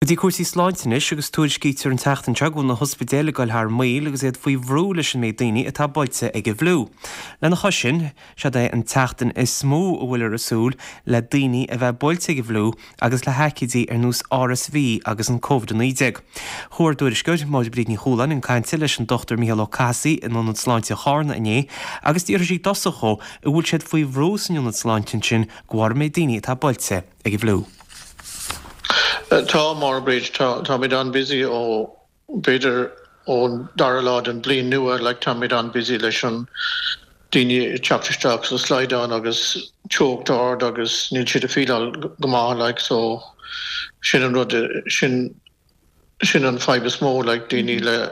Go dtí cúrsaí sláinte anois agus tuairiscítear an tseachtain seo go bhfuil na hospidéil ag dul thar maoil agus iad faoi bhrú leis an méid daoine atá buailte ag an bhfliú. Lena chois sin, seod é an tseachtain is mó a bhfuiltear ag súil le daoine a bheith buailte ag an bhfliú agus le haicídí ar nós RSV agus an Covid-19. Chuaigh ár dtuairisceoir, Máire Bríd Ní Chualáin, chun cainte leis an Dr Mícheál Ó Cathasaigh in Ionad Sláinte Charna inné agus d'fhiafraigh sí i dtosach dhó an bhfuil siad faoi bhrú san ionad sláinte ansin de bharr an méid daoine atá buailte ag an bhfliú. Tá, Máire Bríd, tá, táimid an-busy ó, b'fhéidir ón dara lá den bhliain nua, like táimid an-busy leis an daoine ag teacht isteach sa slaghdán agus teocht ard agus níl siad ag feeláil go maith, like so sin an rud, sin, sin an fadhb is mó, like daoine le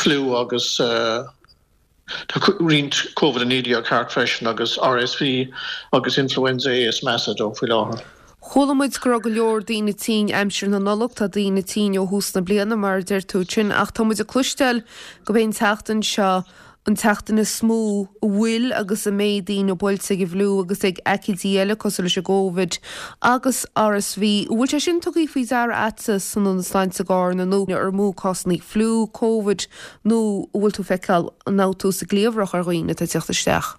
fliú agus eh, Tá roinnt Covid-19 thart freisin agus RSV agus Influenza A is measa dó faoi láthair. Chuala muid go raibh go leor daoine tinn aimsir na Nollag, tá daoine tinn ó thús na bliana mar a deir tú ansin ach tá muid ag cloisteáil gurb é an tseachtain seo an tseachtain is mó a bhfuil agus a mbeidh daoine buailte ag an bhfliú agus ag aicídí eile cosúil leis an gCovid agus RSV. An bhfuil sé sin tugtha faoi deara agatsa san Ionad Sláinte i gCarna nó ar mó cásanna fliú, Covid Nó an bhfuil tú ag feiceáil an fhabhtú sa gcliabhrach ar dhaoine atá ag teacht isteach?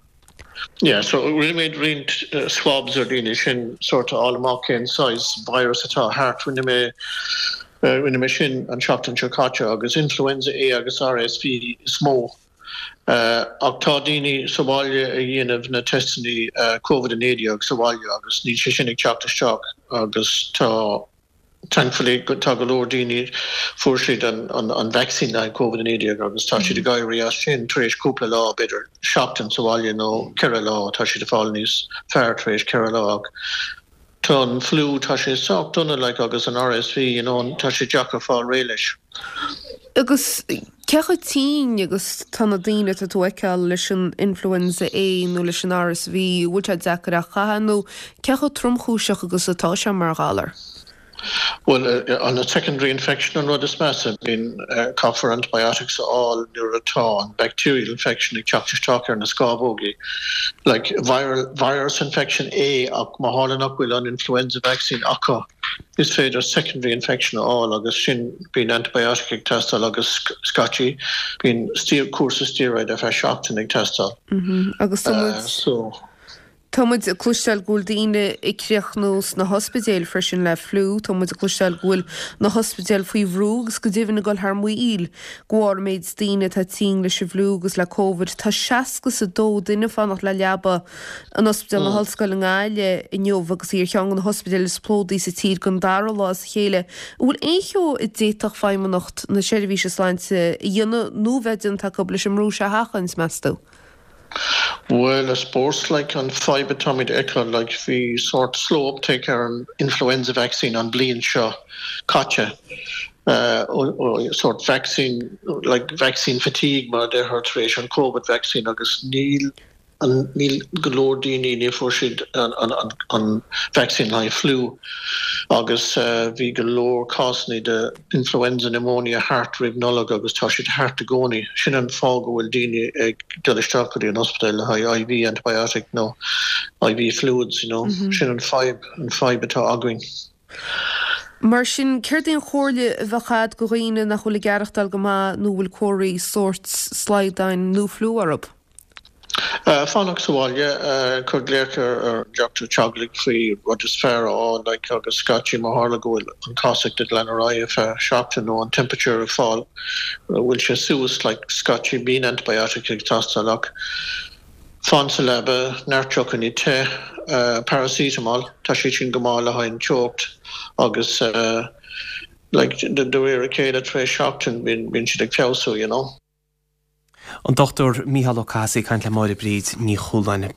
Yeah, so rinne muid roinnt swabs ar dhaoine sin sort of fháil amach cén saghas virus atá thart. Rinne mé rinne mé sin an tseachtain seo caite agus influenza A agus RSV is mó. Ach tá daoine sa bhaile ag dhéanamh na teisteanna Covid-19 sa bhaile agus níl sé sin ag teacht isteach agus tá Thankfully tá go leor daoine fuair siad an vaccine le haghaidh Covid-19 agus tá siad ag éirí as sin tar éis cúpla lá, b'fhéidir seachtain sa bhaile nó ceithre lá, tá siad ag fáil níos fearr tar éis ceithre lá ach tá an fliú, tá sé sách dona like agus an RSV you know tá sé deacair fáil réidh leis. Agus cé chomh tinn agus tá na daoine atá tú a fheiceáil leis an Influenza A nó leis an RSV, an bhfuil sé deacair a chaitheamh nó cé chomh tromchúiseach agus atá sé mar ghalar? Bhuel, an secondary infection an rud is measa. Bíonn, caithfear antibiotics a fháil nuair atá an bacterial infection ag teacht isteach ar na scámhógaí. Like viral, virus infection é ach má tharla nach bhfuil an influenza vaccine acu, Is féidir secondary infection a fháil agus sin bíonn antibiotic ag teastáil agus scaití bíonn cúrsa steroid ar feadh seachtain ag teastáil. Agus tá muid So. Tá muid ag cloisteáil go bhfuil daoine ag críochnú sna hospidéil freisin le fliú, tá muid ag cloisteáil go bhfuil na hospidéil faoi bhrú agus go deimhin ag dul thar maoil de bharr an méid daoine atá tinn leis an bhfliú agus le Covid. Tá 62 duine ag fanacht le leaba In Ospidéal na hOllscoile i nGaillimh inniu agus í ar cheann de na hospidéil is plódaí sa tír don dara lá as a chéile, an bhfuil aon cheo a d'fhéadfadh Feidhmeannacht na Seirbhíse Sláinte a dhéanamh nó a bheith déanta acu leis an mbrú seo a sheachaint, meas tú? Bhuel, I suppose, like, an fadhb atáimid a fheiceáil, like, bhí sórt slow uptake ar an influenza vaccine an bliain seo caite, sórt vaccine, like, vaccine fatigue mar a deirtear tar éis an Covid vaccine agus níl Níl go leor daoine, ní fuair siad an vaccine le haghaidh fliú agus bhí go leor cásanna de influenza pneumonia thart roimh Nollaig agus tá siad thart i gcónaí. Sin an fáth go bhfuil daoine ag dul isteach go dtí an ospidéal le haghaidh IV antibiotic nó IV fluids, you know. Sin an fadhb, an fadhb atá againn. Mar sin, céard é an chomhairle a bheadh agat do dhaoine nach bhfuil ag aireachtáil go maith nó a bhfuil comharthaí sóirt slaghdáin nó fliú orthu? Fanacht sa bhaile, cuir glaoch ar an dochtúir teaghlaigh faoi rud is fearr a fháil like agus scaití má tharla go bhfuil an casacht ag lean ar aghaidh ar feadh seachtain nó an temperature ag fáil bhfuil sé suas like scaití bíonn antibiotic ag teastáil ach fan sa leaba, neart deochannaí te, paracetamol, tá siad sin go maith le haghaidh an teocht agus like de réir a chéile tar éis seachtain bíonn siad ag feabhsú you know. An Dr Mícheál Ó Cathasaigh ag caint le Máire Bríd Ní Chualáin.